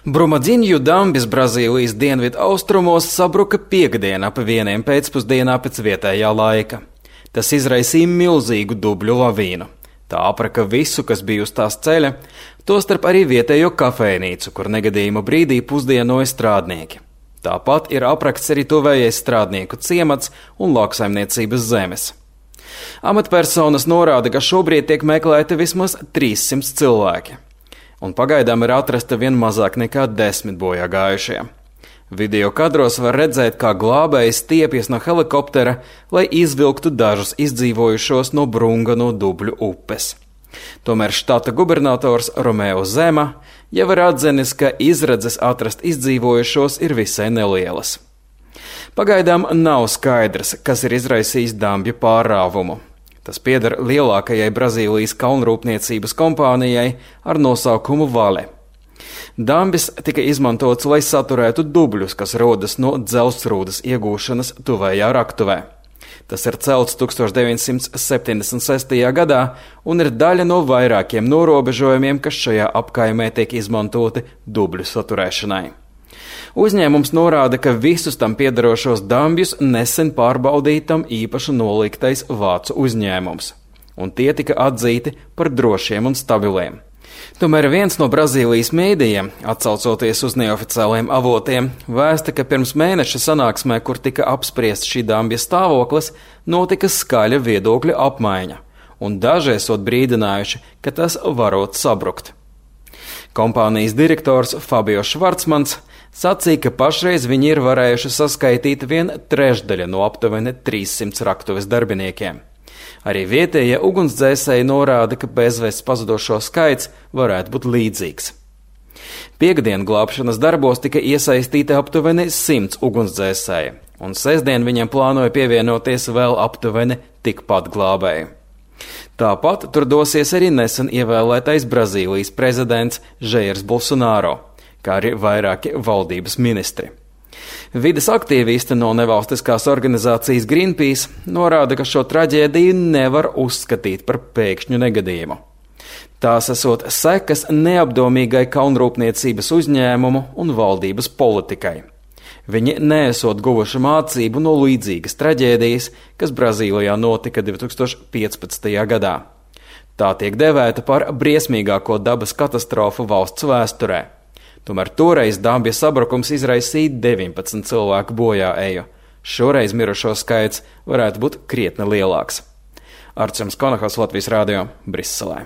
Brumadinju dambis Brazīlijas dienvidu austrumos sabruka piektdien ap 1 pēcpusdienā pēc vietējā laika. Tas izraisīja milzīgu dubļu lavīnu. Tā apraka visu, kas bija uz tās ceļa, tostarp arī vietējo kafejnīcu, kur negadījuma brīdī pusdienoja strādnieki. Tāpat ir aprakts arī tuvējais strādnieku ciemats un lauksaimniecības zemes. Amatpersonas norāda, ka šobrīd tiek meklēti vismaz 300 cilvēki, un pagaidām ir atrasta vien mazāk nekā 10 bojā gājušie. Video kadros var redzēt, kā glābēji stiepjas no helikoptera, lai izvilktu dažus izdzīvojušos no Brungano Dubļu upes. Tomēr štata gubernators Romeo Zema jau ir atzinis, ka izredzes atrast izdzīvojušos ir visai nelielas. Pagaidām nav skaidrs, kas ir izraisījis dambju pārrāvumu. Tas pieder lielākajai Brazīlijas kalnrūpniecības kompānijai ar nosaukumu Vale. Dambis tika izmantots, lai saturētu dubļus, kas rodas no dzelzsrūdas iegūšanas tuvējā raktuvē. Tas ir celts 1976. gadā un ir daļa no vairākiem norobežojumiem, kas šajā apkaimē tiek izmantoti dubļu saturēšanai. Uzņēmums norāda, ka visus tam piederošos dambjus nesen pārbaudītam īpaši noliktais vācu uzņēmums, un tie tika atzīti par drošiem un stabiliem. Tomēr viens no Brazīlijas mēdījiem, atsaucoties uz neoficiāliem avotiem, vēsta, ka pirms mēneša sanāksmē, kur tika apspriests šī dambja stāvoklis, notika skaļa viedokļa apmaiņa, un daži esot brīdinājuši, ka tas varot sabrukt. Kompānijas direktors Fabio Švarcmans sacīja, ka pašreiz viņi ir varējuši saskaitīt 1/3 no aptuveni 300 raktuves darbiniekiem. Arī vietējie ugunsdzēsēji norāda, ka bezvēsts pazudošo skaits varētu būt līdzīgs. Piektdien glābšanas darbos tika iesaistīti aptuveni 100 ugunsdzēsēji, un sestdien viņiem plānoja pievienoties vēl aptuveni tikpat glābēji. Tāpat tur dosies arī nesen ievēlētais Brazīlijas prezidents Jairs Bolsonaro, kā arī vairāki valdības ministri. Vides aktīvisti no nevalstiskās organizācijas Greenpeace norāda, ka šo traģēdiju nevar uzskatīt par pēkšņu negadījumu. Tās esot sekas neapdomīgai kalnrūpniecības uzņēmumu un valdības politikai. Viņi neesot guvuši mācību no līdzīgas traģēdijas, kas Brazīlijā notika 2015. gadā. Tā tiek devēta par briesmīgāko dabas katastrofu valsts vēsturē. Tomēr toreiz dambja sabrukums izraisīja 19 cilvēku bojā eju. Šoreiz mirušo skaits varētu būt krietni lielāks. Arčuns Konahaus, Latvijas Rādio, Briselē.